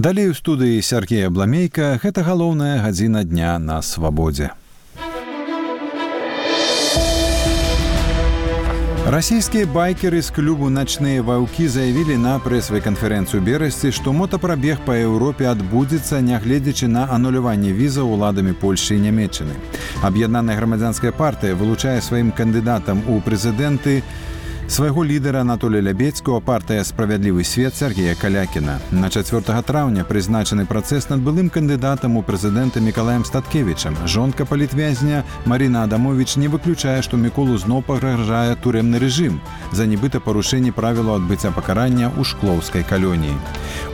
Далей у студыі Сергей Абламейка, гэта галоўная гадзіна дня на свабодзе. Расійскія байкеры з клубу «Ночные ваўкі» заявілі на прэсавай канферэнцыі ў Берасці, што мотапрабег па Еўропе адбудзецца, нягледзячы на ануляванне візаў уладамі Польшчы і Нямецчыны. Аб'яднаная грамадзянская партыя вылучае сваім кандыдатам у прэзідэнты свайго лідара Анатолія Лябедзькага, партыя «Справядлівы свет» Сергея Калякіна. На 4 траўня прызначаны працэс над былым кандыдатам у прэзідэнты Мікалаем Статкевічам. Жонка палітвязня Марина Адамович не выключае, што Міколу зноў пагражае турэмны рэжым за нібыта парушэнне правілаў адбыцця пакарання ў шклоўскай калоніі.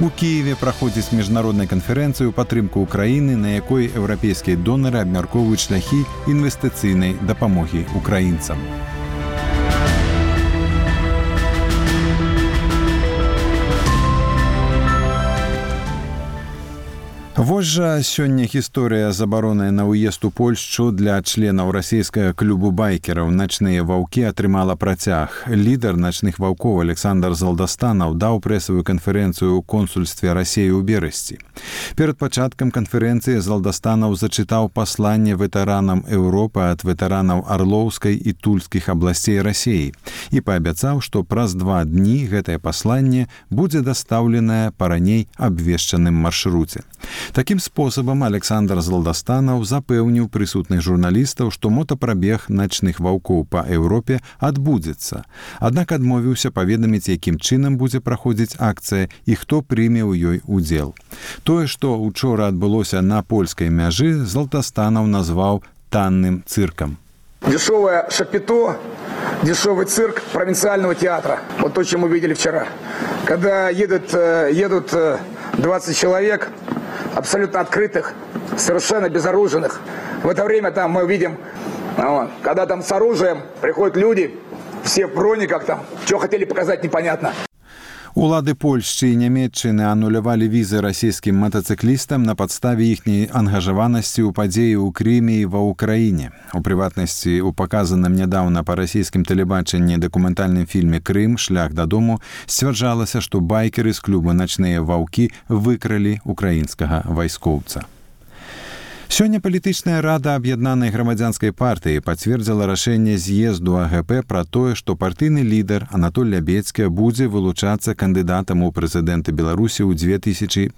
У Кіеве праходзіць міжнародная канферэнцыя ў падтрымку Украіны, на якой еўрапейскія донары абмяркоўваюць шляхі інвестыцыйнай дапамогі украінцам. Вось жа сёння гісторыя забароны на ўезд у Польшчу для членаў расійскага клубу байкераў «Ночные ваўкі» атрымала працяг. Лідар «Ночных ваўкоў» Александр Залдастанаў даў прэсавую канферэнцыю ў консульстве Расіі ў Берасці. Перад пачаткам канферэнцыі Залдастанаў зачытаў пасланне ветэранам Еўропы ад ветэранаў Арлоўскай і Тульскіх абласцей Расіі і паабяцаў, што праз 2 дні гэтае пасланне будзе дастаўленае па раней абвешчаным маршруце. Такім спосабам Александр Залдастанаў запэўніў прысутных журналістаў, што мотапрабег «Ночных ваўкоў» па Еўропе адбудзецца. Аднак адмовіўся паведаміць, якім чынам будзе праходзіць акцыя і хто прыме ў ёй удзел. Тое, што учора адбылося на польскай мяжы, Залдастанаў назваў танным цыркам. Дешевое шапито, дешевый цирк провинциального театра. Вот то, что мы видели вчера. Когда едут 20 человек, абсолютно открытых, совершенно безоружных. В это время там мы видим, когда там с оружием приходят люди, все в брониках там, что хотели показать, непонятно. Улады Польшчы і Нямецчыны анулявалі візы расійскім матацыклістам на падставе іхняй ангажаванасці ў падзеі ў Крыме і ва ўкраіне. У прыватнасці, у паказаным нядаўна па расійскім тэлебачанні дакументальным фільме «Крым. Шлях дадому» сцвярджалася, што байкеры з клуба «Ночные ваўкі» выкралі украінскага вайскоўца. Сёння палітычная рада аб'яднанай грамадзянскай партыі пацвердзіла рашэнне з'езду АГП пра тое, што партыйны лідар Анатоль Лябедзькі будзе вылучацца кандыдатам у прэзідэнты Беларусі ў 2015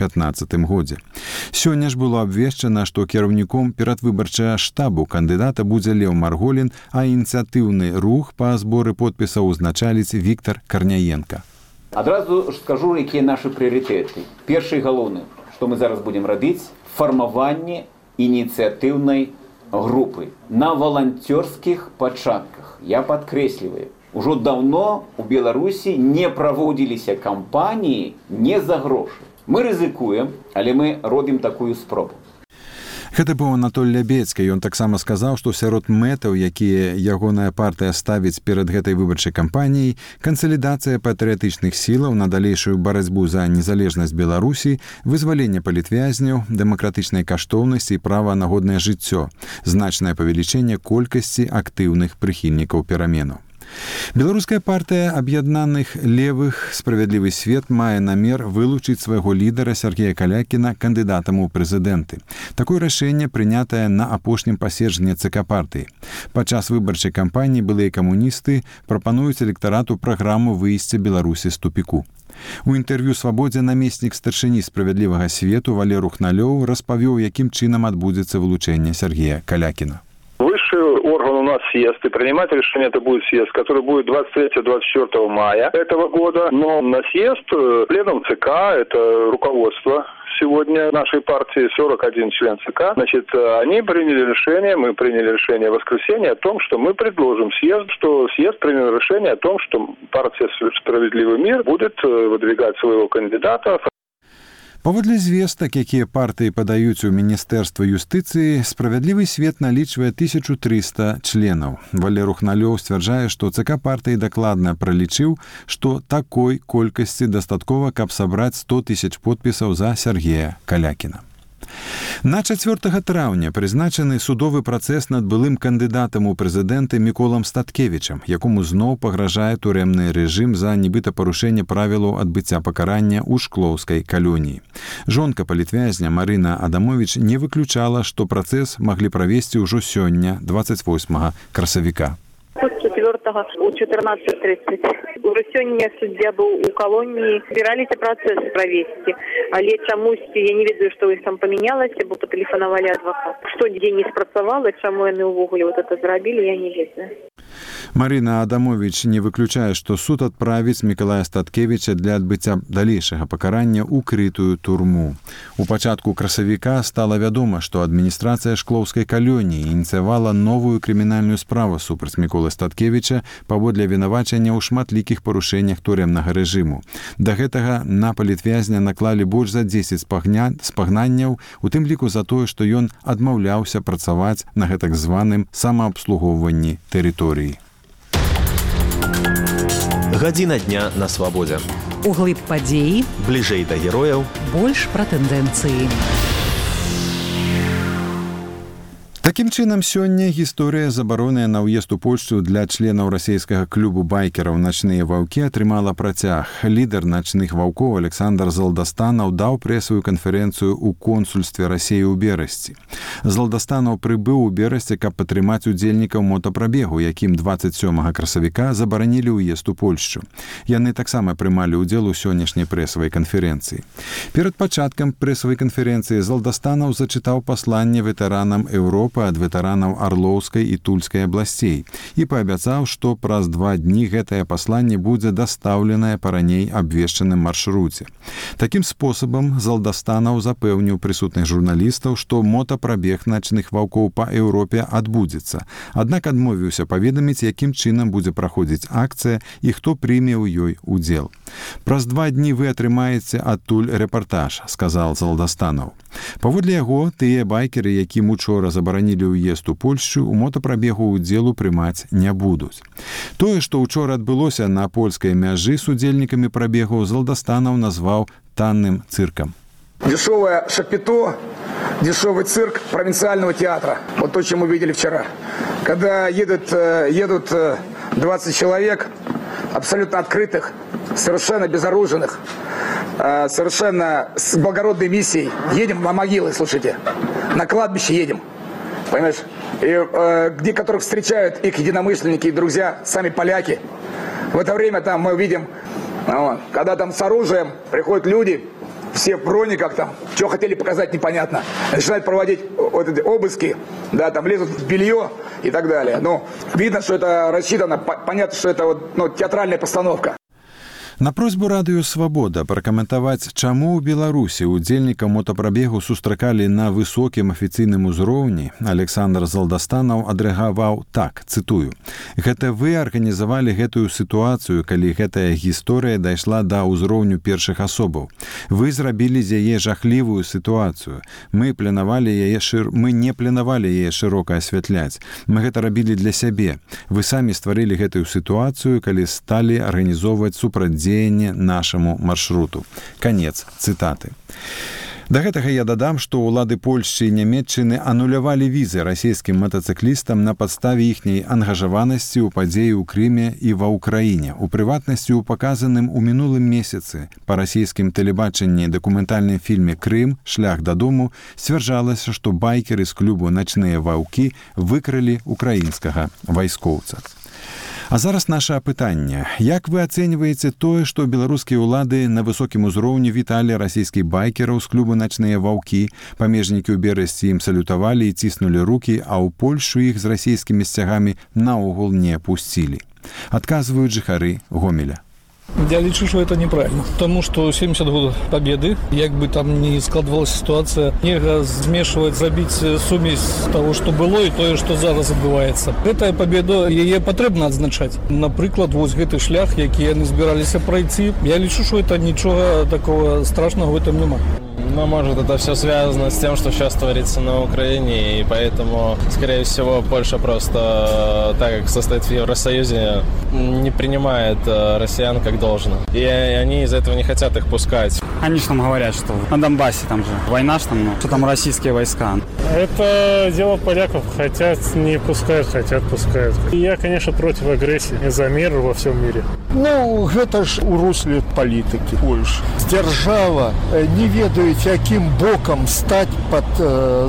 годзе. Сёння ж было абвешчана, што кіраўніком перадвыбарчага штабу кандыдата будзе Леў Марголін, а ініцыятыўны рух па зборы подпісаў узначаліць Віктар Карняенка. Адразу ж скажу, якія нашы прыярытэты. Першы і галоўны, што мы зараз будзем рабіць, фармаванне ініцыятыўнай групы на валанцёрскіх пачатках. Я падкрэсліваю, ужо даўно у Беларусі не праводзіліся кампаніі не за грошы. Мы рызыкуем, але мы робім такую спробу. Гэта быў Анатоль Лябедзькі. Ён таксама сказаў, што сярод мэтаў, якія ягоная партыя ставіць перад гэтай выбарчай кампаніяй, кансалідацыя патрыятычных сілаў на далейшую барацьбу за незалежнасць Беларусі, вызваленне палітвязняў, дэмакратычнай каштоўнасці і права на годнае жыццё, значнае павелічэнне колькасці актыўных прыхільнікаў пераменаў. Беларуская партыя аб'яднаных левых «Справядлівы свет» мае намер вылучыць свайго лідара Сергея Калякіна кандыдатам у прэзідэнты. Такое рашэнне прынятае на апошнім паседжанні ЦК партыі. Падчас выбарчай кампаніі былыя камуністы прапануюць электарату праграму выйсця Беларусі з тупіку. У інтэрв'ю «Свабодзе» намеснік старшыні «Справядлівага свету» Валеру Хналёў распавёў, якім чынам адбудзецца вылучэнне Сергея Калякіна. Высший орган у нас съезд, и принимать решение это будет съезд, который будет 23-24 мая этого года. Но на съезд пленум ЦК, это руководство сегодня нашей партии, 41 член ЦК, значит, они приняли решение, мы приняли решение в воскресенье о том, что мы предложим съезд, что съезд принял решение о том, что партия «Справедливый мир» будет выдвигать своего кандидата. Паводле звестак, якія партыі падаюць у Міністэрства юстыцыі, «Справядлівы свет» налічвае 1300 членаў. Валеру Хналёў сцвярджае, што ЦК партыі дакладна пралічыў, што такой колькасці дастаткова, каб сабраць 100 000 подпісаў за Сергея Калякіна. На 4 траўня прызначаны судовы працэс над былым кандыдатам у прэзідэнты Міколам Статкевічам, якому зноў пагражае турэмны рэжым за нібыта парушэнне правілаў адбыцця пакарання ў шклоўскай калоніі. Жонка палітвязня Марына Адамовіч не выключала, што працэс маглі правесці ўжо сёння, 28 красавіка. 4-го у 14:30. Уже сёння суддзя быў у калоніі, збіраліся працэс правесці, але чамусьці я не ведаю, што іх там памянялася, бо патэлефанавалі адвакат. Што дзень не спрацавала, чаму яны ўвогуле вот это зрабілі, я не ведаю. Марына Адамовіч не выключае, што суд адправіць Мікалая Статкевіча для адбыцця далейшага пакарання ў крытую турму. У пачатку красавіка стала вядома, што адміністрацыя шклоўскай калоніі ініцыявала новую крымінальную справу супраць Міколы Статкевіча паводле вінавачання ў шматлікіх парушэннях турэмнага рэжыму. Да гэтага на палітвязня наклалі больш за 10 спагнанняў, у тым ліку за тое, што ён адмаўляўся працаваць на гэтак званым самаабслугоўванні тэрыторыі. Гадзіна дня на свабодзе. Углыб падзеі, Бліжэй да герояў, больш пра тэндэнцыі. Такім чынам, сёння гісторыя забароны на ўезд у Польшчу для членаў расійскага клубу байкераў «Начныя ваўкі» атрымала працяг. Лідар «Начных ваўкоў» Александр Залдастанаў даў прэсавую канферэнцыю ў консульстве Расіі ў Берасці. Залдастанаў прыбыў у Берасці, каб падтрымаць удзельнікаў мотапрабегу, якім 27 красавіка забаранілі ўезд у Польшчу. Яны таксама прымалі ўдзел у сённяшняй прэсавай канферэнцыі. Перад пачаткам прэсавай канферэнцыі Залдастанаў зачытаў пасланне ветэранам Еўропы ад ветэранаў Арлоўскай і Тульскай абласцей і паабяцаў, што праз 2 дні гэтае пасланне будзе дастаўленае па раней абвешчаным маршруце. Такім спосабам Залдастанаў запэўніў прысутных журналістаў, што мотапрабег начных ваўкоў па Еўропе адбудзецца. Аднак адмовіўся паведаміць, якім чынам будзе праходзіць акцыя і хто прыме ў ёй удзел. «Праз 2 дні вы атрымаеце адтуль рэпартаж», — сказал Залдастанаў. Паводле яго, тыя байкеры, якім учора забаранілі ўезд у Польшчу, у мотапрабегу ўдзелу прымаць не будуць. Тое, што ўчора адбылося на польскай мяжы з удзельнікамі прабегу, Залдастанаў назваў танным цыркам. Дешевое шапито, дешевый цирк провинциального театра. Вот то, чем мы видели вчера. Когда едут 20 человек, абсолютно открытых, совершенно безоружных, совершенно с благородной миссией. Едем на могилы, слушайте, на кладбище едем, понимаешь? И где которых встречают их единомышленники и друзья, сами поляки. В это время там мы видим, когда там с оружием приходят люди, все в брониках там, что хотели показать, непонятно. Начинают проводить вот эти обыски, да, там лезут в белье и так далее. Ну, видно, что это рассчитано, понятно, что это вот, театральная постановка. На просьбу радыё «Свабода» пракаментаваць, чаму ў Беларусі удзельнікаў мотапрабегу сустракалі на высокім афіцыйным узроўні, Александр Залдастанаў адрэагаваў так, цытую: «Гэта вы арганізавалі гэтую сітуацыю, калі гэтая гісторыя дайшла да ўзроўню першых асобаў. Вы зрабілі з яе жахлівую сітуацыю. Мы не планавалі яе шырока асвятляць. Мы гэта рабілі для сябе. Вы самі стварылі гэтую сітуацыю, калі сталі арганізоўваць супрацьдзеянне нашаму маршруту». Канец цытаты. Да гэтага я дадам, што ўлады Польшчы і Нямецчыны анулявалі візы расійскім матацыклістам на падставе іхняй ангажаванасці ў падзеі ў Крыме і ва ўкраіне. У прыватнасці ў паказаным у мінулым месяцы па расійскім тэлебачанні дакументальным фільме «Крым. Шлях дадому» сцвярджалася, што байкеры з клубу «Начныя ваўкі» выкралі украінскага вайскоўца. А зараз наше апытанне. Як вы ацэньваеце тое, што беларускія ўлады на высокім узроўні віталі расійскіх байкераў з клубу «Начныя ваўкі», памежнікі ў Берасці ім салютавалі і ціснулі рукі, а ў Польшу іх з расійскімі сцягамі наогул не пусцілі? Адказваюць жыхары Гомеля. Я лічу, что это неправильно, потому что 70 год победы, як бы там ни складывалась ситуация, нельзя змешивать, забить сумесь того, что было и то, что зараз адбываецца. Гэтая победа, яе патрэбна адзначаць. Напрыклад, вось гэты шлях, які яны збіраліся пройти, я лічу, что это нічога такого страшного в этом нема. Но, может, это все связано с тем, что сейчас творится на Украине, и поэтому, скорее всего, Польша просто, так как состоит в Евросоюзе, не принимает россиян как должно. И они из-за этого не хотят их пускать. Они же там говорят, что на Донбассе там же война, что там российские войска. Это дело поляков. Хотят, не пускают, хотят, пускают. И я, конечно, против агрессии. За мир во всем мире. Ну, это ж у русле политики Польши. Держава, не ведаете, яким боком стать под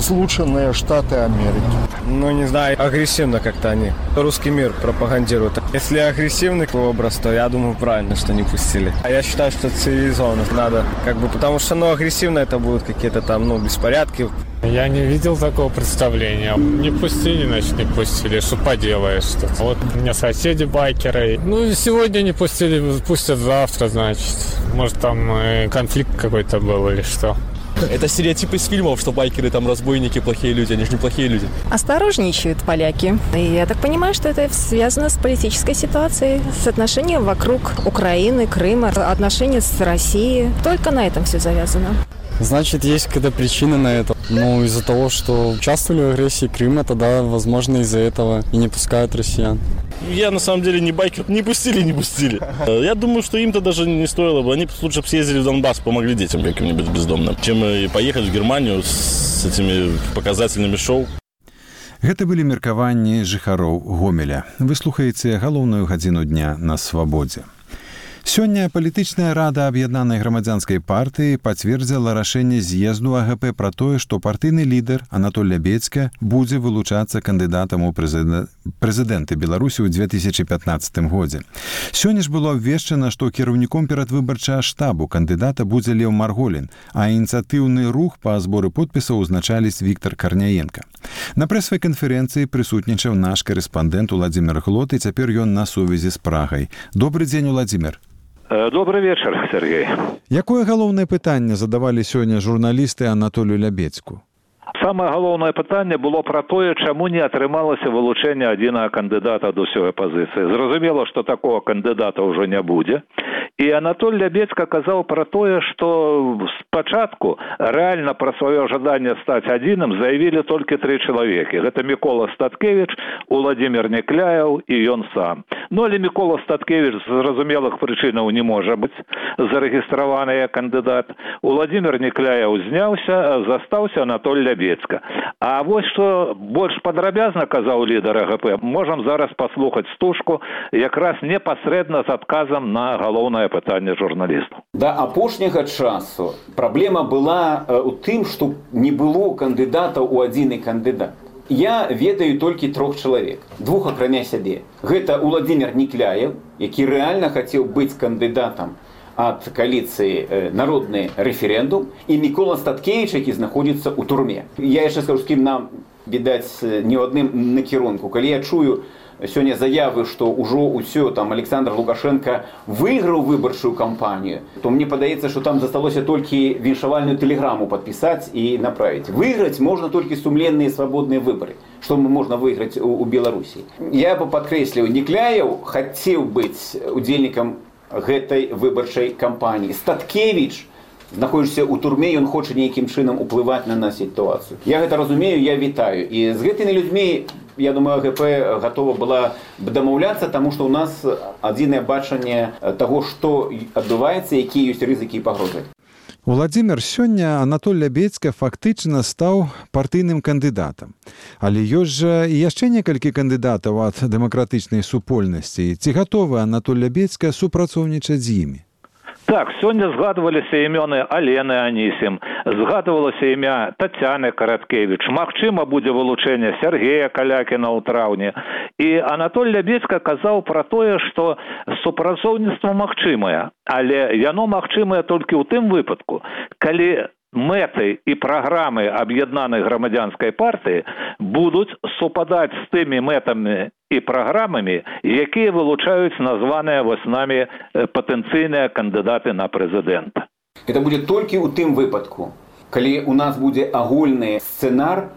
Злученные Штаты Америки. Ну, не знаю, агрессивно как-то они русский мир пропагандируют. Если агрессивный образ, то я думаю, правильно, что не пустили. А я считаю, что цивилизованно надо, потому что, агрессивно это будут какие-то там, беспорядки. Я не видел такого представления. Не пустили, значит, не пустили. Что поделаешь-то? Вот у меня соседи байкеры. Сегодня не пустили, пустят завтра, значит. Может, там конфликт какой-то был или что. Это стереотип из фильмов, что байкеры там разбойники, плохие люди. Они же не плохие люди. Осторожничают поляки. И я так понимаю, что это связано с политической ситуацией, с отношением вокруг Украины, Крыма, отношения с Россией. Только на этом все завязано. Значит, есть какая-то причина на это. Из-за того, что участвовали в агрессии Крыма, тогда, возможно, из-за этого и не пускают россиян. Я, на самом деле, не байкер. Не пустили. Я думаю, что им-то даже не стоило бы. Они лучше бы съездили в Донбасс, помогли детям каким-нибудь бездомным, чем поехать в Германию с этими показательными шоу. Гэта былі меркаванні жыхароў Гомеля. Вы слухаеце галоўную гадзіну дня на свабодзе. Сёння палітычная рада аб'яднанай грамадзянскай партыі пацвердзіла рашэнне з'езду АГП пра тое, што партыйны лідар Анатоль Лябедзька будзе вылучацца кандыдатам у прэзідэнты Беларусі ў 2015 годзе. Сёння ж было абвешчана, што кіраўніком перадвыбарчага штабу кандыдата будзе Леў Марголін, а ініцыятыўны рух па зборы подпісаў узначаліць Віктар Карняенка. На прэсавай канферэнцыі прысутнічаў наш корэспандэнт Уладзімір Глот, і цяпер ён на сувязі з Прагай. Добры дзень, Уладзімір. Добрый вечер, Сергей. Якое галоўнае пытанне задавалі сёння журналісты Анатолію Лябедзьку? Самае галоўнае пытанне было пра тое, чаму не атрымалася вылучэнне адзінага кандыдата ад усёй апазіцыі. Зразумела, што такого кандыдата ўжо не будзе. І Анатоль Лябедзька казаў пра тое, што спачатку рэальна пра сваё жаданне стаць адзіным заявілі толькі 3 чалавекі. Гэта Мікола Статкевіч, Уладзімір Некляеў і ён сам. Але Мікола Статкевіч з зразумелых прычынаў не можа быць зарэгістраваны як кандыдат. Уладзімір Некляеў зняўся, застаўся Анатоль Лябедзька. А вось што больш падрабязна казаў лідар АГП, можам зараз паслухаць стужку якраз непасрэдна з адказам на галоўнае пытанне журналістаў. Да апошняга часу праблема была ў тым, што не было кандыдатаў у адзіны кандыдат. Я ведаю толькі 3 чалавек, 2 акрамя сябе. Гэта Уладзімір Некляеў, які рэальна хацеў быць кандыдатам ад кааліцыі «Народны рэферэндум», і Мікола Статкевіч, які знаходзіцца ў турме. Я яшчэ скажу, з кім нам, відаць, не ў адным накірунку. Калі я чую сёння заявы, што ўжо ўсё там Александр Лукашенко выйграў выбарчую кампанію, то мне падаецца, што там засталося толькі віншавальную тэлеграму падпісаць і направіць. Выйграць можна толькі сумленныя свабодныя выбары, што можна выйграць у Беларусі. Я бы падкрэсліў, Некляеў хацеў быць удзельнікам гэтай выбарчай кампаніі. Статкевіч знаходзіцца ў турме, ён хоча нейкім чынам уплываць на сітуацыю. Я гэта разумею, я вітаю. І з гэтымі людзьмі, я думаю, АГП гатова была б дамаўляцца, таму што ў нас адзінае бачанне таго, што адбываецца, якія ёсць рызыкі і пагрозы. Уладзімір, сёння Анатоль Лябедзька фактычна стаў партыйным кандыдатам. Але ёсць жа і яшчэ некалькі кандыдатаў ад дэмакратычнай супольнасці. Ці гатовы Анатоль Лябедзька супрацоўнічаць з імі? Так, сёння згадваліся імёны Алены Анісім, згадвалася імя Тацяны Караткевіч, магчыма будзе вылучэнне Сергея Калякіна ў траўні. І Анатоль Лябедзька казаў пра тое, што супрацоўніцтва магчымае, але яно магчымае толькі ў тым выпадку, калі мэты і праграмы аб'яднанай грамадзянскай партыі будуць супадаць з тымі мэтамі і праграмамі, якія вылучаюць названыя вось намі патэнцыйныя кандыдаты на прэзідэнта. Гэта будзе толькі ў тым выпадку, калі у нас будзе агульны сцэнар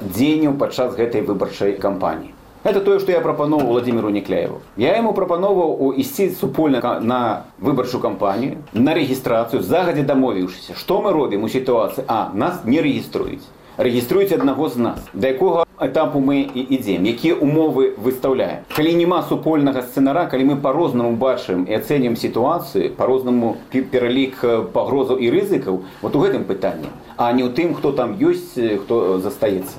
дзеянняў падчас гэтай выбарчай кампаніі. Это то, что я пропоновал Владимиру Некляеву. Я ему пропоновал идти супольно на выборчую кампанию, на регистрацию, загодя домовившись. Что мы робим у ситуации? Нас не реєструють. Реєструють одного з нас. До якого етапу ми йдемо? Які умови виставляємо? Коли нема супольного сценара, коли ми по-розному бачимо і оцінюємо ситуацію, по-розному перелік погроз і ризиків, от у гэтым питанні, а не у тим, хто там є, хто застається.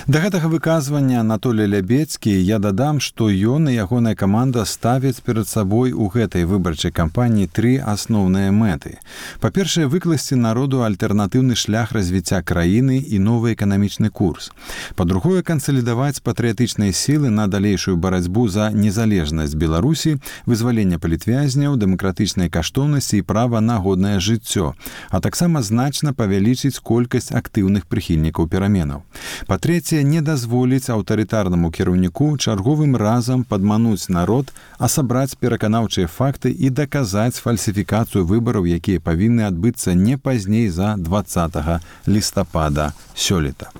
Да гэтага выказвання Анатолий Лябецкі я дадам, што ён і ягоная каманда ставяць перад сабой у гэтай выбарчай кампаніі 3 асноўныя мэты. Па-першае, выкласці народу альтэрнатыўны шлях развіцця краіны і новы эканамічны курс. Па-другое, кансалідаваць патрыятычныя сілы на далейшую барацьбу за незалежнасць Беларусі, вызваленне палітвязняў, дэмакратычныя каштоўнасці і права на годнае жыццё, а таксама значна павялічыць колькасць актыўных прыхільнікаў пераменаў. Па-трэцяе, не дазволіць аўтарытарнаму кіраўніку чарговым разам падмануць народ, а сабраць пераканаўчыя факты і даказаць фальсіфікацыю выбараў, якія павінны адбыцца не пазней за 20 лістапада сёлета.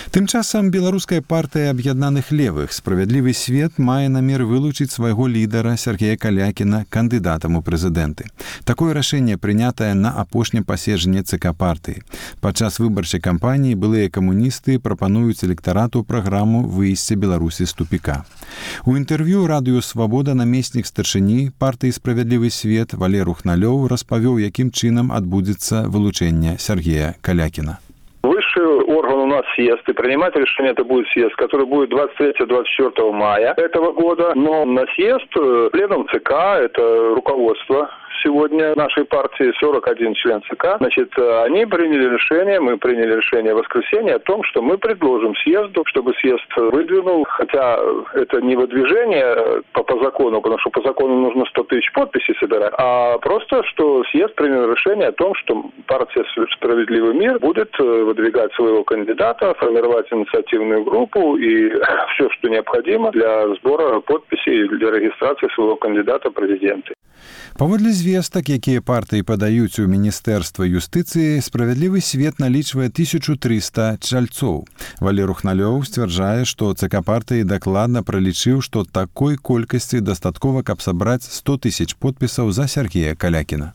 Тым часам беларуская партыя аб'яднаных левых «Справядлівы свет» мае намер вылучыць свайго лідара Сергея Калякіна кандыдатам у прэзідэнты. Такое рашэнне прынятае на апошнім паседжанні ЦК партыі. Падчас выбарчай кампаніі былыя камуністы прапануюць электарату праграму выйсця Беларусі з тупіка. У інтэрв'ю радыё «Свабода» намеснік старшыні партыі «Справядлівы свет» Валер Ухналёў распавёў, якім чынам адбудзецца вылучэнне Сергея Калякіна. Высший орган у нас съезд, и принимать решение это будет съезд, который будет 23-24 мая этого года. Но на съезд пленум ЦК, это руководство сегодня нашей партии, 41 член ЦК, значит, они приняли решение, мы приняли решение в воскресенье о том, что мы предложим съезду, чтобы съезд выдвинул, хотя это не выдвижение по закону, потому что по закону нужно 100 тысяч подписей собирать, а просто, что съезд принял решение о том, что партия «Справедливый мир» будет выдвигать своего кандидата, формировать инициативную группу и все, что необходимо для сбора подписей, для регистрации своего кандидата в президенты. Паводле звестак, якія партыі падаюць у Міністэрства юстыцыі, «Справядлівы свет» налічвае 1300 чальцоў. Валер Ухналёў сцвярджае, што ЦК партыі дакладна пралічыў, што такой колькасці дастаткова, каб сабраць 100 тысяч подпісаў за Сергея Калякіна.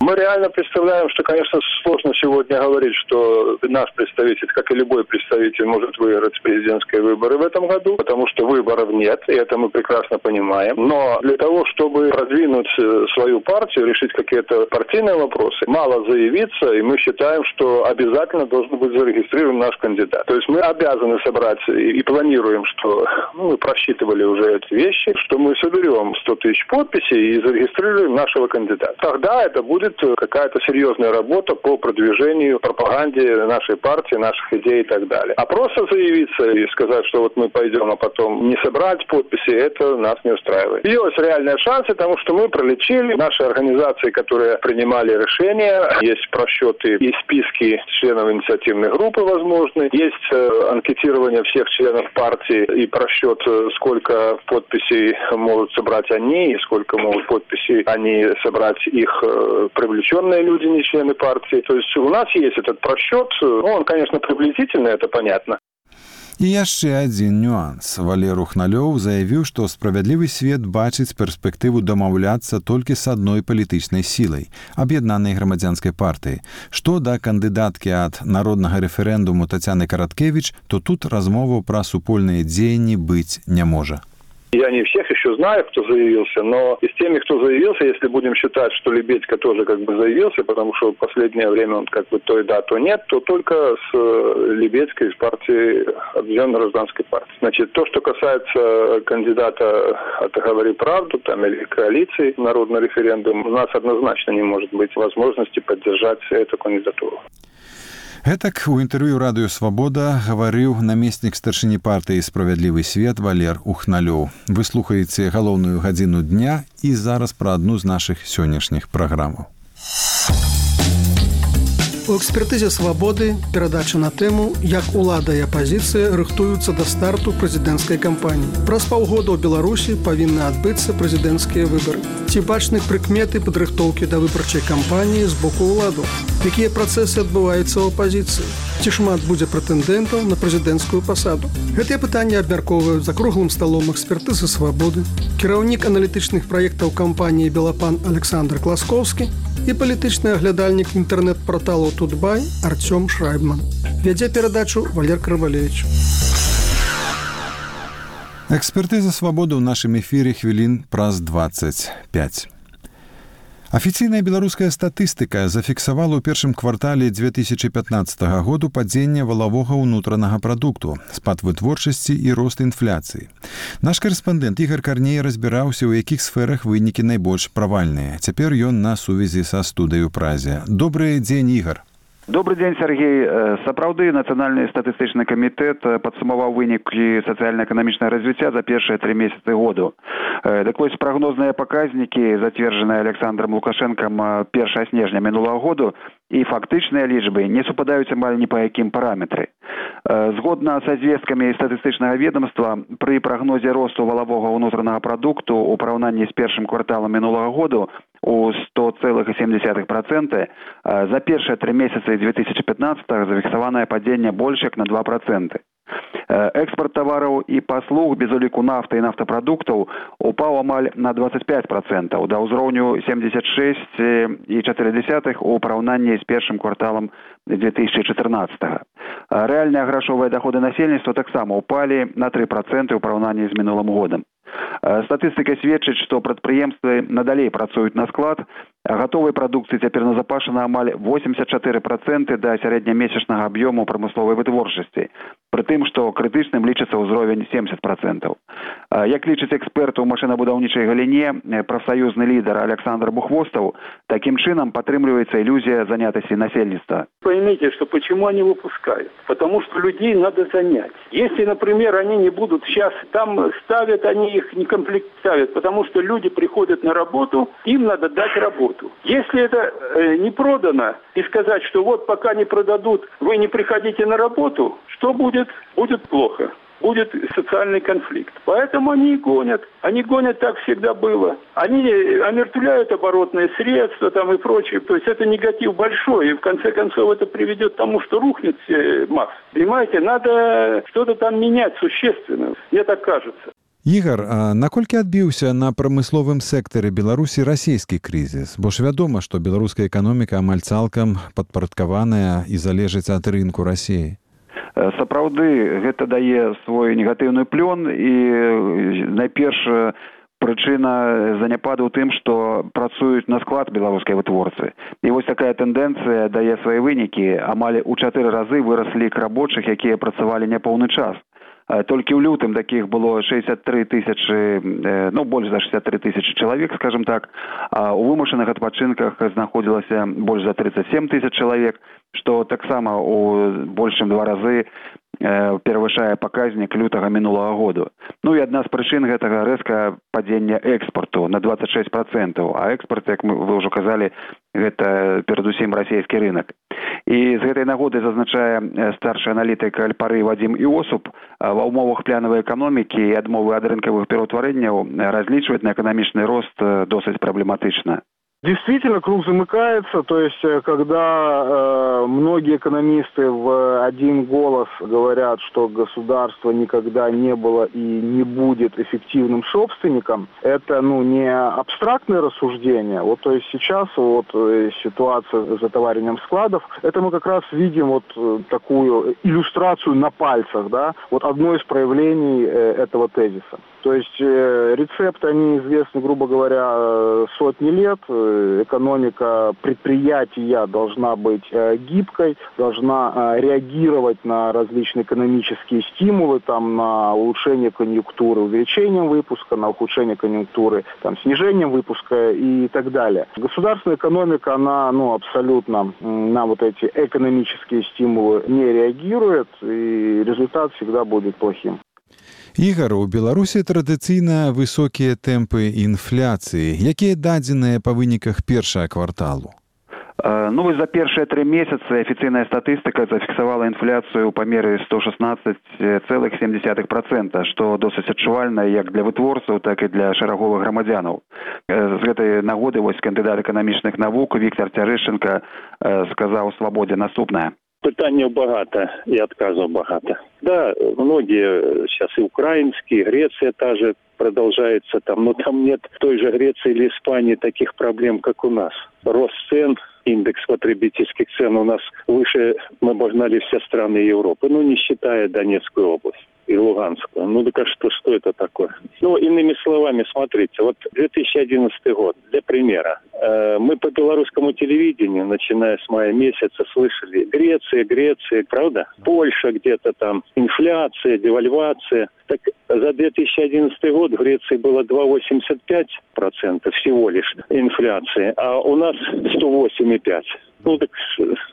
Мы реально представляем, что, конечно, сложно сегодня говорить, что наш представитель, как и любой представитель, может выиграть президентские выборы в этом году, потому что выборов нет, и это мы прекрасно понимаем. Но для того, чтобы продвинуть свою партию, решить какие-то партийные вопросы, мало заявиться, и мы считаем, что обязательно должен быть зарегистрирован наш кандидат. То есть мы обязаны собрать и планируем, что мы просчитывали уже эти вещи, что мы соберем 100 тысяч подписей и зарегистрируем нашего кандидата. Тогда это будет какая-то серьезная работа по продвижению, пропаганде нашей партии, наших идей и так далее. А просто заявиться и сказать, что вот мы пойдем, а потом не собрать подписи, это нас не устраивает. Есть реальные шансы, потому что мы пролечили наши организации, которые принимали решения, есть просчеты и списки членов инициативной группы возможны, есть анкетирование всех членов партии и просчет, сколько подписей могут собрать они и сколько могут подписей они собрать их привлеченные люди, не члены партии. То есть у нас есть этот просчет. Он, конечно, приблизительный, это понятно. І яшчэ адзін нюанс. Валер Ухналёў заявіў, што «Справядлівы свет» бачыць перспектыву дамаўляцца толькі з адной палітычнай сілай – аб'яднанай грамадзянскай партыі. Што да кандыдаткі ад народнага рэферэндуму Тацяны Караткевіч, то тут размоваў пра супольныя дзеянні быць не можа. Я не всех еще знаю, кто заявился, но из теми, кто заявился, если будем считать, что Лебедько тоже как бы заявился, потому что в последнее время он как бы то и да, то нет, то только с Лебедько из партии Объединенной гражданской партии. Значит, то, что касается кандидата от «Говори правду» там, или коалиции народный референдум, у нас однозначно не может быть возможности поддержать эту кандидатуру. Гэтак у інтэрв'ю радыё «Свабода» гаварыў намеснік старшыні партыі «Справядлівы свет» Валер Ухналёў. Вы слухаеце галоўную гадзіну дня і зараз пра адну з нашых сённяшніх праграмаў. У экспертызе «Свабоды» перадача на тэму «Як улада і апазіцыя рыхтуюцца да старту прэзідэнцкай кампаніі». Праз паўгода ў Беларусі павінны адбыцца прэзідэнцкія выбары. Ці бачны прыкметы падрыхтоўкі да выбарчай кампаніі з боку ўладу? Якія працэсы адбываюцца ў апазіцыі? Ці шмат будзе прэтэндэнтаў на прэзідэнцкую пасаду? Гэтыя пытанні абмяркоўваюць за круглым сталом экспертызы «Свабоды», кіраўнік аналітычных праектаў кампаніі «Белапан» Александр Класкоўскі і палітычны аглядальнік інтэрнэт-парталу «Тутбай» Артём Шрайбман. Вядзе перадачу Валер Карвалевич. Экспертыза «Свабоды» ў нашым эфіры хвілін праз 25. Афіцыйная беларуская статыстыка зафіксавала ў першым квартале 2015 году падзенне валавога ўнутранага прадукту, спад вытворчасці і рост інфляцыі. Наш карэспандэнт Ігар Карней разбіраўся, у якіх сферах вынікі найбольш правальныя. Цяпер ён на сувязі са студыяй у Празе. Добрый дзень, Ігар. Добрый дзень, Сергей. Сапраўды, Нацыянальны статыстычны камітэт падсумаваў вынікі сацыяльна-эканамічнага развіцця за першыя 3 месяцы году. Так вось, прагнозныя паказнікі, зацверджаныя Александром Лукашэнкам 1 снежня мінулага году, і фактычныя лічбы не супадаюць амаль ні па якім параметры. Згодна са звесткамі статыстычнага ведомства, пры прагнозе росту валавога ўнутранага прадукту ў параўнанні з першым кварталам мінулага году у 100,7%, за першыя 3 месяцы 2015 зафіксаванае падзенне больш як на 2%. Экспорт тавараў і паслуг без уліку нафты і нафтапрадуктаў упаў амаль на 25%, да ўзроўню 76,4 у параўнанні з першым кварталам 2014. Рэальныя грашовыя даходы насельніцтва таксама упалі на 3% у параўнанні з мінулым годам. Статыстыка сведчыць, што прадпрыемствы надалей працуюць на склад, а гатовай прадукцыі цяпер назапашана амаль 84% да сярэднямесячнага аб'ёму прамысловай вытворчасці, пры тым, што крытычным лічыцца ўзровень 70%. Як лічыць эксперт у машынабудаўнічай галіне, прафсаюзны лідар Александр Бухвостаў, такім чынам падтрымліваецца ілюзія занятасці насельніцтва. Поймите, что почему они выпускают? Потому что людей надо занять. Если, например, они не будут сейчас там ставят, они их не комплект ставят, потому что люди приходят на работу, им надо дать работу. Если это не продано и сказать, что вот пока не продадут, вы не приходите на работу, что будет? Будет плохо. Будет социальный конфликт. Поэтому они и гонят. Они гонят, так всегда было. Они омертвляют оборотные средства там и прочее. То есть это негатив большой. И в конце концов это приведет к тому, что рухнет масса. Понимаете, надо что-то там менять существенно. Мне так кажется. Ігар, а наколькі адбіўся на прамысловым сектары Беларусі расійскі крызіс? Бо ж вядома, што беларуская эканоміка амаль цалкам падпарадкаваная і залежыць ад рынку Расіі. Сапраўды, гэта дае свой негатыўны плён, і найперш прычына заняпаду ў тым, што працуюць на склад беларускай вытворцы. І вось такая тэндэнцыя дае свае вынікі. Амаль у 4 разы выраслі лік рабочых, якія працавалі няпоўны час. Толькі ў лютым такіх было 63 тысячы, больш за 63 тысячы чалавек, скажем так, а у вымушаных адпачынках знаходзілася больш за 37 тысяч чалавек, што таксама у больш чым 2 разы перавышае паказнік лютага мінулага году. І адна з прычын гэтага рэзка падзення экспарту на 26%, а экспорт, як вы ўжо казалі, гэта перадусім расійскі рынок. І з гэтай нагоды, зазначае старшы аналітык Альпары Вадзім Іосуп, ва ўмовах планавай эканомікі і адмовы ад рынкавых пераўтварэнняў разлічваць на эканамічны рост досыць праблематычна. Действительно, круг замыкается, то есть когда многие экономисты в один голос говорят, что государство никогда не было и не будет эффективным собственником, это не абстрактное рассуждение. Вот, то есть сейчас ситуация с затоварением складов, это мы как раз видим такую иллюстрацию на пальцах, да, одно из проявлений этого тезиса. То есть рецепты, они известны, грубо говоря, сотни лет. Экономика предприятия должна быть гибкой, должна реагировать на различные экономические стимулы, на улучшение конъюнктуры увеличением выпуска, на ухудшение конъюнктуры снижением выпуска и так далее. Государственная экономика, она абсолютно на эти экономические стимулы не реагирует, и результат всегда будет плохим. Ігар, у Беларусі традыцыйна высокія тэмпы інфляцыі. Якія дадзеныя па выніках першага кварталу? Ну, вось за першыя 3 месяцы афіцыйная статыстыка зафіксавала інфляцыю ў памеры 116,7%, што досыць адчувальна як для вытворцаў, так і для шараговых грамадзянаў. З гэтай нагоды вось кандыдат эканамічных навук Віктор Цярэшченка сказаў «Свабодзе» наступнае. Пытанняў багата и отказов багата. Да, многие сейчас и украинские, Греция та же продолжается там, но там нет в той же Греции или Испании таких проблем, как у нас. Рост цен, индекс потребительских цен у нас выше, мы обогнали все страны Европы, ну не считая Донецкую область и Луганскую. Ну так а что это такое? Ну, иными словами, смотрите, вот 2011 год, для примера. Мы по белорусскому телевидению, начиная с мая месяца, слышали Греция, правда? Польша где-то там, инфляция, девальвация. Так за 2011 год в Греции было 2,85% всего лишь инфляции, а у нас 108,5%. Ну так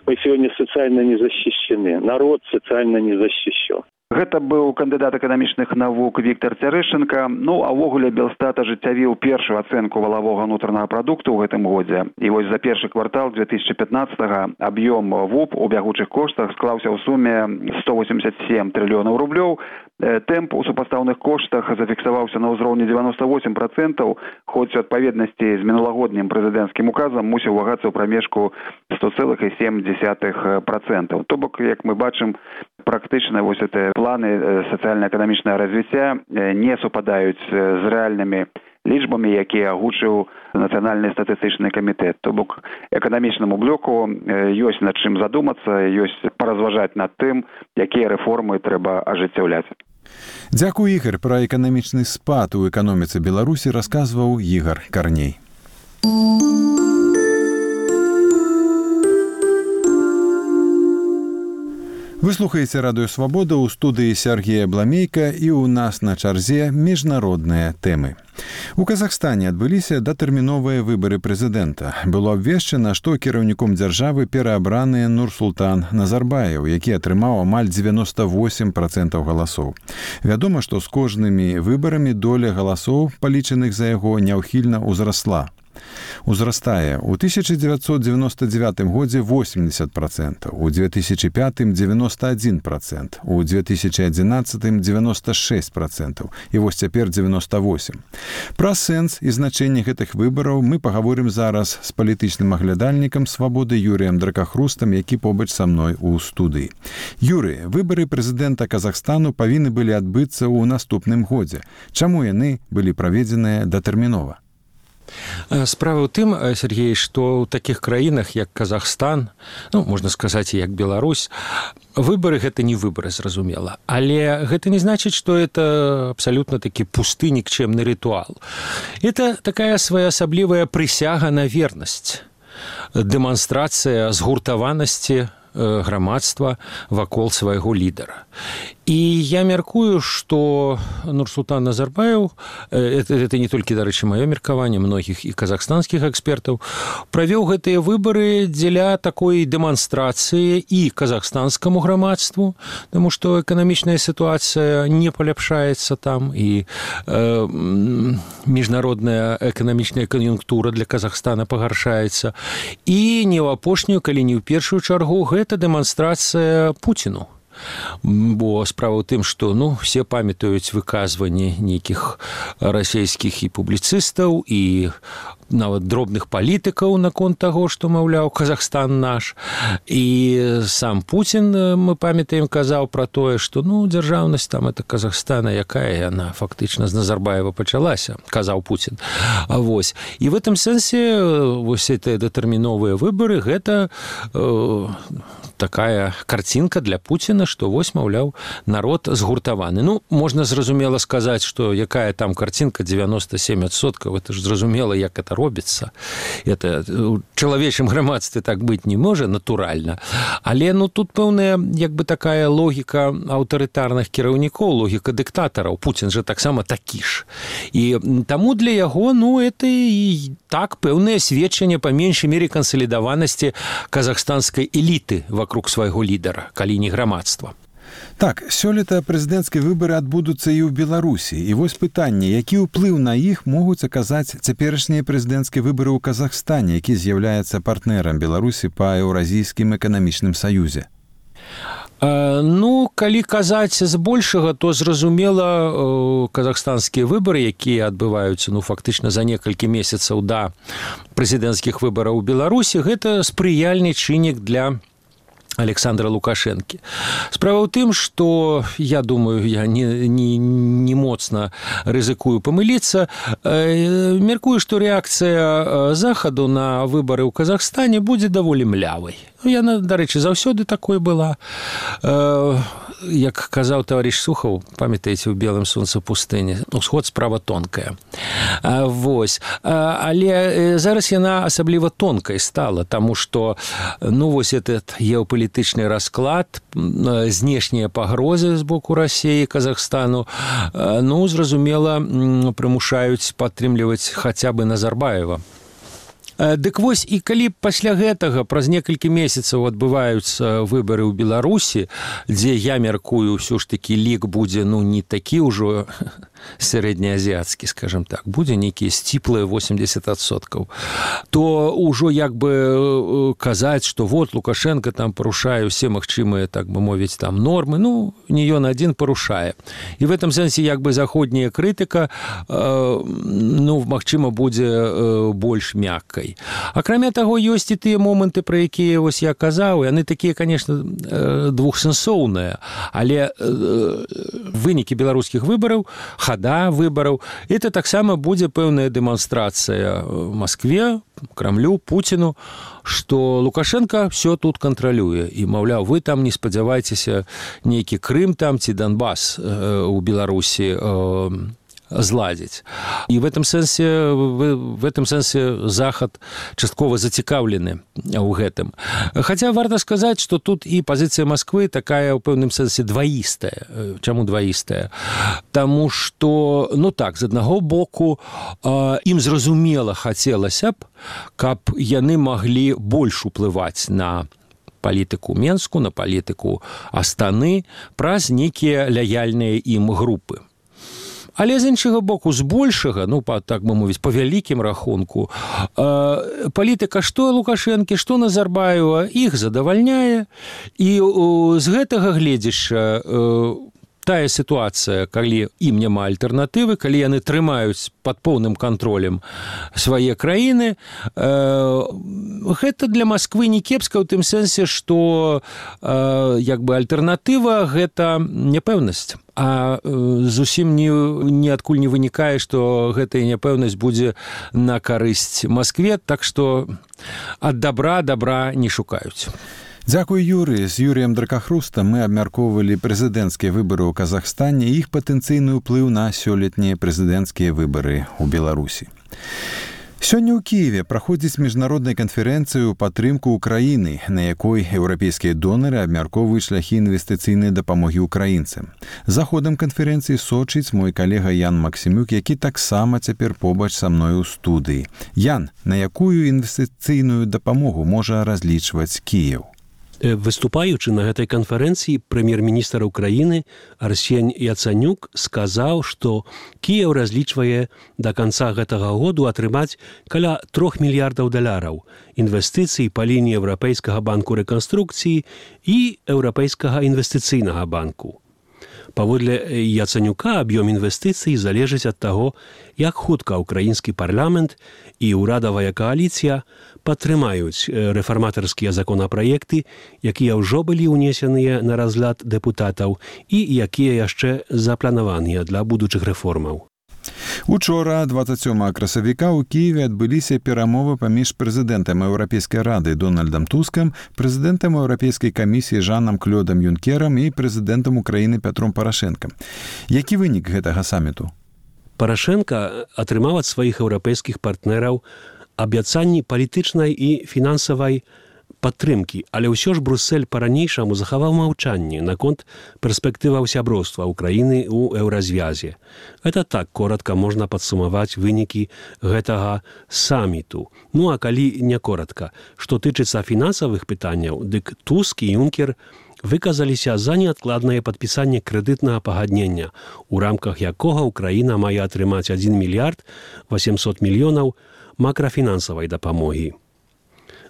мы сегодня социально не защищены. Народ социально не защищен. Гэта быў кандыдат эканамічных навук Віктор Цярэшченка. Ну, а ўвогуле Белстат ажыццявіў першую ацэнку валавога ўнутранага прадукту ў гэтым годзе. І вось за першы квартал 2015-го аб'ём ВУП у бягучых коштах склаўся ў суме 187 трыльёнаў рублёў. Тэмп у супастаўных коштах зафіксаваўся на ўзроўні 98%, хоць у адпаведнасці з мінулагоднім прэзідэнцкім указам мусіў вагацца ў прамежку 100,7%. То бок, як мы бачым, практычна вось гэтыя планы сацыяльна-эканамічнага развіцця не супадаюць з рэальнымі лічбамі, якія агучыў Нацыянальны статыстычны камітэт. То бок эканамічнаму блоку ёсць над чым задумацца, ёсць паразважаць над тым, якія рэформы трэба ажыццяўляць. Дзякуй, Ігар. Пра эканамічны спад у эканоміцы Беларусі расказваў Ігар Карней. Вы слухаеце радыё «Свабода», у студыі Сергея Бламейка, і ў нас на чарзе міжнародныя тэмы. У Казахстане адбыліся датэрміновыя выбары прэзідэнта. Было абвешчана, што кіраўніком дзяржавы пераабраны Нурсултан Назарбаев, які атрымаў амаль 98% галасоў. Вядома, што з кожнымі выбарамі доля галасоў, палічаных за яго, няўхільна ўзрасла. Узрастае у 1999 годзе 80%, у 2005 91%, у 2011 96% і вось цяпер 98%. Пра сэнс і значэнне гэтых выбараў мы пагаворым зараз з палітычным аглядальнікам «Свабоды» Юрыем Дракахрустам, які побач са мной у студыі. Юрый, выбары прэзідэнта Казахстану павінны былі адбыцца ў наступным годзе. Чаму яны былі праведзеныя датэрмінова? Справа ў тым, Сергей, што ў такіх краінах, як Казахстан, ну, можна сказаць, як Беларусь, выбары – гэта не выбары, зразумела. Але гэта не значыць, што это абсалютна такі пусты, нікчэмны рытуал. Это такая своеасаблівая прысяга на вернасць, дэманстрацыя згуртаванасці грамадства вакол свайго лідара. І я мяркую, што Нурсултан Назарбаев, это не толькі, дарэчы, маё меркаванне, многіх і казахстанскіх экспертаў, правёў гэтыя выбары дзеля такой дэманстрацыі і казахстанскаму грамадству, таму што эканамічная сітуацыя не паляпшаецца там, і міжнародная эканамічная кан'юнктура для Казахстана пагаршаецца. І не ў апошнюю, калі не ў першую чаргу, гэта дэманстрацыя Пуціну. Бо справа ў тым, што все памятаюць выказванні нейкіх расійскіх і публіцыстаў, і нават дробных палітыкаў наконт таго, што, маўляў, Казахстан наш. І сам Пуцін, мы памятаем, казаў пра тое, што дзяржаўнасць там это Казахстана, якая яна фактычна з Назарбаева пачалася, казаў Пуцін. Вось. І в гэтым сэнсе вось гэтыя датэрміновыя выбары гэта такая карцінка для Пуціна, што вось, маўляў, народ згуртаваны. Можна зразумела сказаць, што якая там карцінка 97%, это ж зразумела, як это робіцца. Это у чалавечым грамадстве так быць не можа, натуральна. Але тут пэўная як бы такая логіка аўтарытарных кіраўнікоў, логіка дыктатараў. Пуцін жа таксама такі ж. І таму для яго, это і так пэўнае сведчанне па меншай мере кансалідаванасці казахстанскай эліты вокруг свайго лідара, калі не грамадства. Так, сёлета прэзідэнцкія выбары адбудуцца і ў Беларусі. І вось пытанне, які ўплыў на іх могуць аказаць цяперашнія прэзідэнцкія выбары ў Казахстане, які з'яўляецца партнерам Беларусі па Еўразійскім эканамічным саюзе? Ну, калі казаць збольшага, то зразумела, казахстанскія выбары, якія адбываюцца, фактычна за некалькі месяцаў да прэзідэнцкіх выбараў у Беларусі, гэта спрыяльны чыннік для Александра Лукашэнкі. Справа ў тым, што, я думаю, я не моцна рызыкую памыліцца, меркую, што рэакцыя Захаду на выбары ў Казахстане будзе даволі млявай. Яна, дарэчы, заўсёды такой была. Як казаў таварыш Сухаў, памятаеце, у белым сонца пустыні, усход справа тонкая. Вось. Але зараз яна асабліва тонкай стала, таму што, вось этот геапалітычны расклад, знешнія пагрозы з боку Расіі і Казахстану, зразумела, прымушаюць падтрымліваць хаця бы Назарбаева. Дык вось, і калі пасля гэтага праз некалькі месяцаў адбываюцца выбары ў Беларусі, дзе я меркую, ўсё ж такі лік будзе, не такі ўжо сярэднеазіацкі, скажем так, будзе нейкія сціплыя 80%, то ўжо як бы казаць, што вот Лукашенко там парушае ўсе магчымыя, так бы мовіць, там нормы, не ён адзін парушае. І в этом сэнсе як бы заходняя крытыка, магчыма, будзе больш мяккай. Акрамя таго, ёсць і тыя моманты, пра якія вось я казаў, яны такія, конечно, двухсэнсоўныя, але вынікі беларускіх выбараў, хада выбараў, это таксама будзе пэўная дэманстрацыя Маскве, Крамлю, Пуціну, што Лукашенко все тут кантралюе. І, маўляў, вы там не спадзявайцеся нейкі Крым там ці Донбас у Беларусі зладзіць. І в этом сэнсе Захад часткова зацікаўлены ў гэтым. Хаця варта сказаць, што тут і пазіцыя Масквы такая ў пэўным сэнсе дваістая. Чаму дваістая? Таму што, з аднаго боку, ім зразумела хацелася б, каб яны маглі больш уплываць на палітыку Менску, на палітыку Астаны праз нейкія лаяльныя ім групы. Але з іншага боку, збольшага, так бы мовіць, па вялікім рахунку, палітыка што Лукашэнкі, што Назарбаева іх задавальняе, і з гэтага гледзяча тая сітуацыя, калі ім няма альтэрнатывы, калі яны трымаюць пад поўным кантролем свае краіны, гэта для Масквы не кепска ў тым сэнсе, што як бы альтэрнатыва гэта няпэўнасць. А зусім ніадкуль не вынікае, што гэтая няпэўнасць будзе на карысць Маскве, так што ад добра не шукаюць. Дзякуй, Юрый. З Юрыем Дракахрустам мы абмяркоўвалі прэзідэнцкія выбары ў Казахстане і іх патэнцыйны ўплыў на сёлетнія прэзідэнцкія выбары ў Беларусі. Сёння ў Кіеве праходзіць міжнародная канферэнцыя ў падтрымку ўкраіны, на якой еўрапейскія донары абмяркоўваюць шляхі інвестыцыйнай дапамогі ўкраінцам. За ходам канферэнцыі сочыць мой калега Ян Максімюк, які таксама цяпер побач са мной у студыі. Ян, на якую інвестыцыйную дапамогу можа разлічваць Кіеў? Выступаючы на гэтай канферэнцыі, прэм'ер-міністр Украіны Арсень Яцанюк сказаў, што Кіеў разлічвае да канца гэтага году атрымаць каля $3 мільярдаў інвестыцый па лініі Еўрапейскага банку рэканструкцыі і Еўрапейскага інвестыцыйнага банку. Паводле Яцанюка, аб'ём інвестыцый залежыць ад таго, як хутка ўкраінскі парламент і ўрадавая кааліцыя падтрымаюць рэфарматарскія законапраекты, якія ўжо былі ўнесеныя на разгляд дэпутатаў і якія яшчэ запланаваныя для будучых рэформаў. Учора, 27 красавіка, у Киеве адбыліся перамовы паміж прэзідэнтам Еўрапейскай рады Дональдам Тускам, прэзідэнтам Еўрапейскай камісіі Жанам Клёдам Юнкерам і прэзідэнтам Украіны Пятром Парашэнкам. Які вынік гэтага саміту? Парашэнка атрымаў ад сваіх еўрапейскіх партнераў абяцанні палітычнай і фінансавай падтрымкі, але ўсё ж Бруссель па-ранейшаму захаваў маўчанне наконт перспектываў сяброўства Украіны ў еўразвязе. Гэта так коротка можна падсумаваць вынікі гэтага саміту. Ну а калі не коротка, што тычыцца фінансавых пытанняў, дык Туск і Юнкер выказаліся за неадкладнае падпісанне крэдытнага пагаднення, у рамках якога Украіна мае атрымаць 1 мільярд 800 мільёнаў макрафінансавай дапамогі.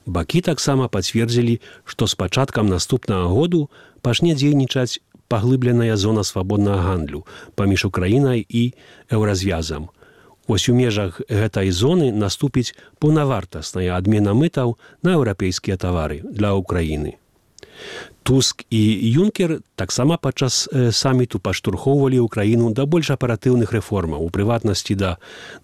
Бакі таксама пацвердзілі, што з пачаткам наступнага году пачне дзейнічаць паглыбленая зона свабоднага гандлю паміж Украінай і еўразвязам. Вось у межах гэтай зоны наступіць паўнавартасная адмена мытаў на еўрапейскія тавары для Украіны. Туск і Юнкер таксама падчас саміту падштурхоўвалі Украіну да больш аператыўных рэформаў, у прыватнасці да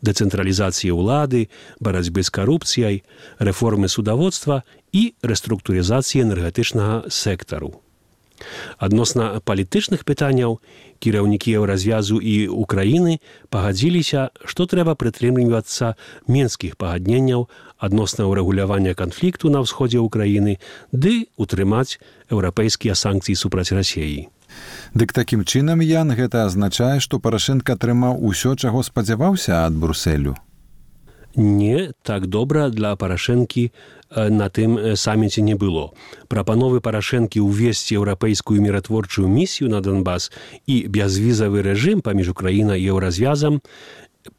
дэцэнтралізацыі ўлады, барацьбы з карупцыяй, рэформы судаводства і рэструктурызацыі энергетычнага сектару. Адносна палітычных пытанняў кіраўнікі еўразвязу і Украіны пагадзіліся, што трэба прытрымлівацца мінскіх пагадненняў адносна ўрэгулявання канфлікту на ўсходзе Украіны ды утрымаць еўрапейскія санкцыі супраць Расіі. Дык такім чынам, Ян, гэта азначае, што Парашенка атрымаў усё, чаго спадзяваўся ад Брусселю? Не так добра для Парашэнкі на тым саміце не было. Прапановы Парашэнкі ўвесці еўрапейскую міратворчую місію на Донбас і бязвізавы рэжым паміж Украінай і еўразвязам,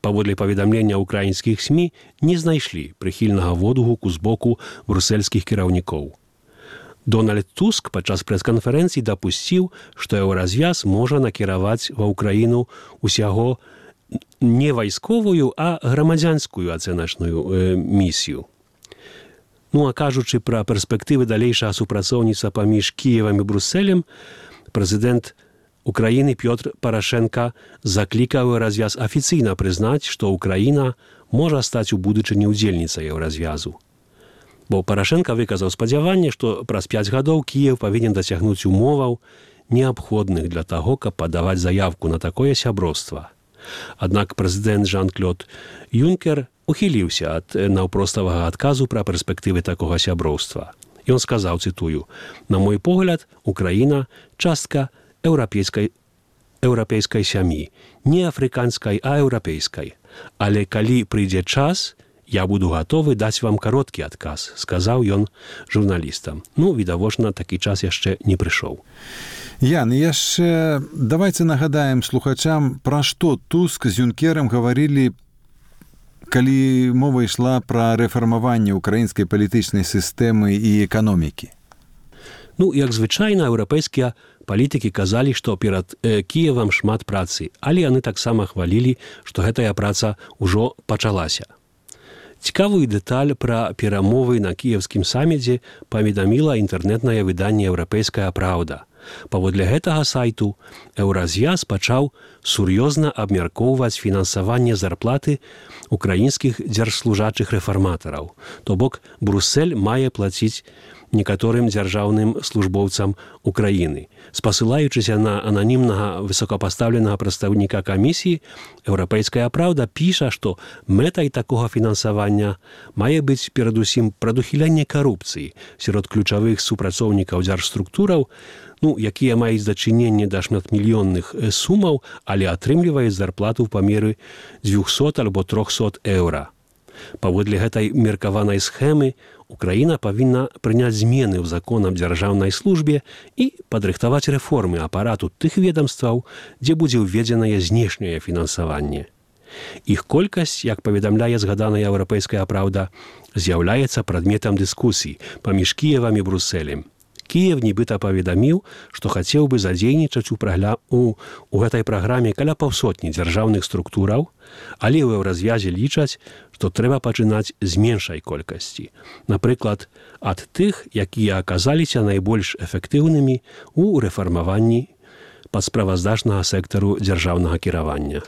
паводле паведамлення украінскіх СМІ, не знайшлі прыхільнага водгуку з боку брусельскіх кіраўнікоў. Дональд Туск падчас прэс-канферэнцыі дапусціў, што еўразвяз можа накіраваць ва Ўкраіну усяго не вайсковую, а грамадзянскую ацэначную місію. Ну а кажучы пра перспектывы далейшага супрацоўніцтва паміж Кіевам і Брусселем, прэзідэнт Украіны Пётр Парашенка заклікаў еўразвяз афіцыйна прызнаць, што Украіна можа стаць у будучыні ўдзельніцай еўразвязу. Бо Парашенка выказаў спадзяванне, што праз 5 гадоў Кіев павінен дасягнуць умоваў, неабходных для таго, каб падаваць заявку на такое сяброўства. Аднак прэзідэнт Жан-Клод Юнкер ухіліўся ад наўпроставага адказу пра перспектывы такога сяброўства. Ён сказаў, цытую: «На мой погляд, Украіна – частка еўрапейскай сям'і, не афрыканскай, а еўрапейскай. Але калі прыйдзе час, я буду гатовы даць вам кароткі адказ», сказаў ён журналістам. Ну, відавочна, такі час яшчэ не прыйшоў. Ян, яшчэ давайте нагадаем слухачам, пра што Туск з Юнкерам гаварылі, калі мова ішла пра рэфармаванне украінскай палітычнай сістэмы і эканомікі. Ну, як звычайна, еўрапейскія палітыкі казалі, што перад Кіевам шмат працы, але яны таксама хвалілі, што гэтая праца ўжо пачалася. Цікавую дэталь пра перамовы на кіевскім саміце паведаміла інтэрнэтнае выданне «Еўрапейская праўда». Паводле гэтага сайту еўразвяз пачаў сур'ёзна абмяркоўваць фінансаванне зарплаты украінскіх дзяржслужачых рэфарматараў. То бок Бруссель мае плаціць некаторым дзяржаўным службоўцам Украіны. Спасылаючыся на ананімнага высокапастаўленага прадстаўніка камісіі, «Еўрапейская праўда» піша, што мэтай такога фінансавання мае быць перадусім прадухіленне карупцыі сярод ключавых супрацоўнікаў дзяржструктураў, якія маюць дачыненне да шматмільённых сумаў, але атрымліваюць зарплату ў памеры 200 альбо 300 еўра. Паводле гэтай меркаванай схемы Украіна павінна прыняць змены ў закон аб дзяржаўнай службе і падрыхтаваць рэформы апарату тых ведамстваў, дзе будзе ўведзенае знешняе фінансаванне. Іх колькасць, як паведамляе згаданая «Еўрапейская праўда», з'яўляецца прадметам дыскусій паміж Кіевам і Брусселем. Кіев нібыта паведаміў, што хацеў бы задзейнічаць у гэтай праграме каля 500 дзяржаўных структураў, але ў еўразвязе лічаць, што трэба пачынаць з меншай колькасці. Напрыклад, ад тых, якія аказаліся найбольш эфектыўнымі ў рэфармаванні падсправаздачнага сектару дзяржаўнага кіравання.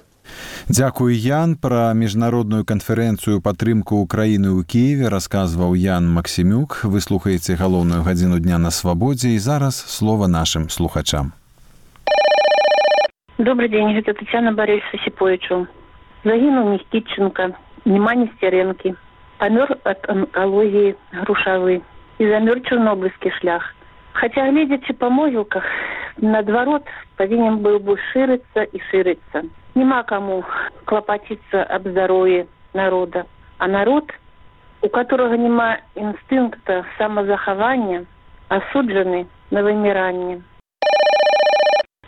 Дзякуй, Ян. Пра міжнародную канферэнцыю падтрымку Украіны ў Кіеве расказваў Ян Максімюк. Вы слухаеце галоўную гадзіну дня на Свабодзе, і зараз слова нашым слухачам. Добрый день, это Татьяна Борисовна Сиповичу. Загинул Никитченко, Нема Нестеренки. Помер от онкологии Грушавый. і замёр чорнобыльскі шлях. Хаця, гледзячы па могілках, наадварот, павінен быў бы шырыцца і шырыцца. Нема каму клапаціцца аб здароўі народа. А народ, у которого няма інстынкта самазахавання, асуджаны на выміранне.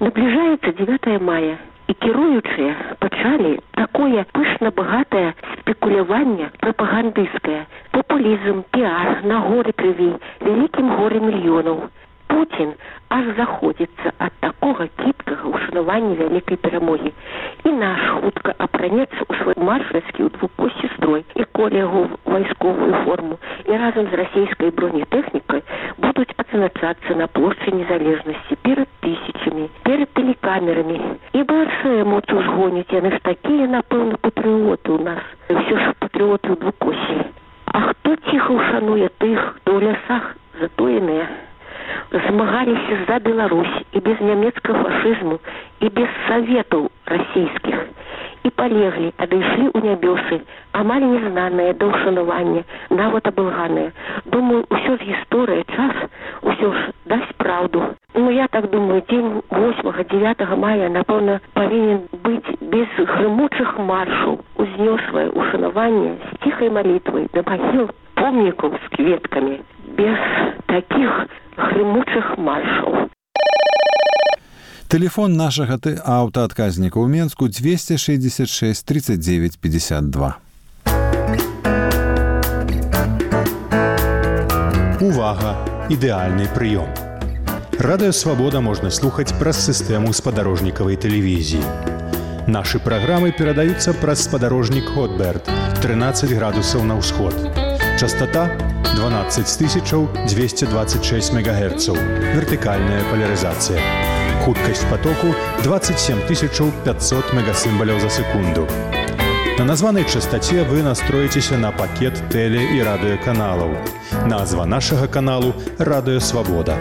Наближаецца 9 мая, і кіруючыя пачалі такое пышна-багатае спекуляванне прапагандысцкае, популізм, піар на горы крыві, вялікім горы мільёнаў. Путін аж заходзіцца ад такога кіпкага ўшанавання вялікай перамогі. І наш хутка апранецца ў свой маршальскі ў двукосці строй і коле яго вайсковую форму і разам з расійскай бронетэхнікай будуць адзначацца на плошчы незалежнасці перад тысячамі, перад тэлекамерамі. І большая моц узгоняць, яны ж такія, напэўна, патрыоты ў нас. Ўсё ж патрыоты ў двукосці. А хто ціха ўшануе тых, хто ў лясах затоеныя? Змагаліся за Беларусь і без нямецкага фашызму, і без саветаў расійскіх. І палеглі, адышлі ў нябёсы, амаль незнаныя да ўшанавання, нават абылганыя. Думаю, усё з гісторыя, час, усё ж дасць праўду. Ну, я так думаю, дзень 8-9 мая, напэўна, павінен быць без грымучых маршаў, узнёслае ўшанаванне з ціхай малітвай да магіл помнікаў з кветкамі, без такіх грымучых маршаў. Телефон нашага аўтаадказніка ў Менску 266 39 52. Увага! Ідэальны прыём. Радыё Свабода можна слухаць праз сістэму спадарожнікавай тэлевізіі. Нашы праграмы перадаюцца праз спадарожнік Хотберт 13 градусаў на ўсход. Частота 12226 МГц. Вертыкальная поляризация. Хуткость потоку 27500 мегасимволов за секунду. На названной частоте вы настроитесь на пакет теле- и радиоканалов. Назва нашего каналу «Радио Свобода».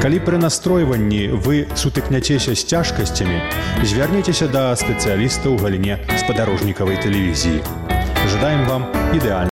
Калі пры настройванні вы сутыкняцеся з цяжкасцямі, звярніцеся да спецыяліста ў галіне спадарожнікавай тэлевізіі. Жадаем вам ідэальна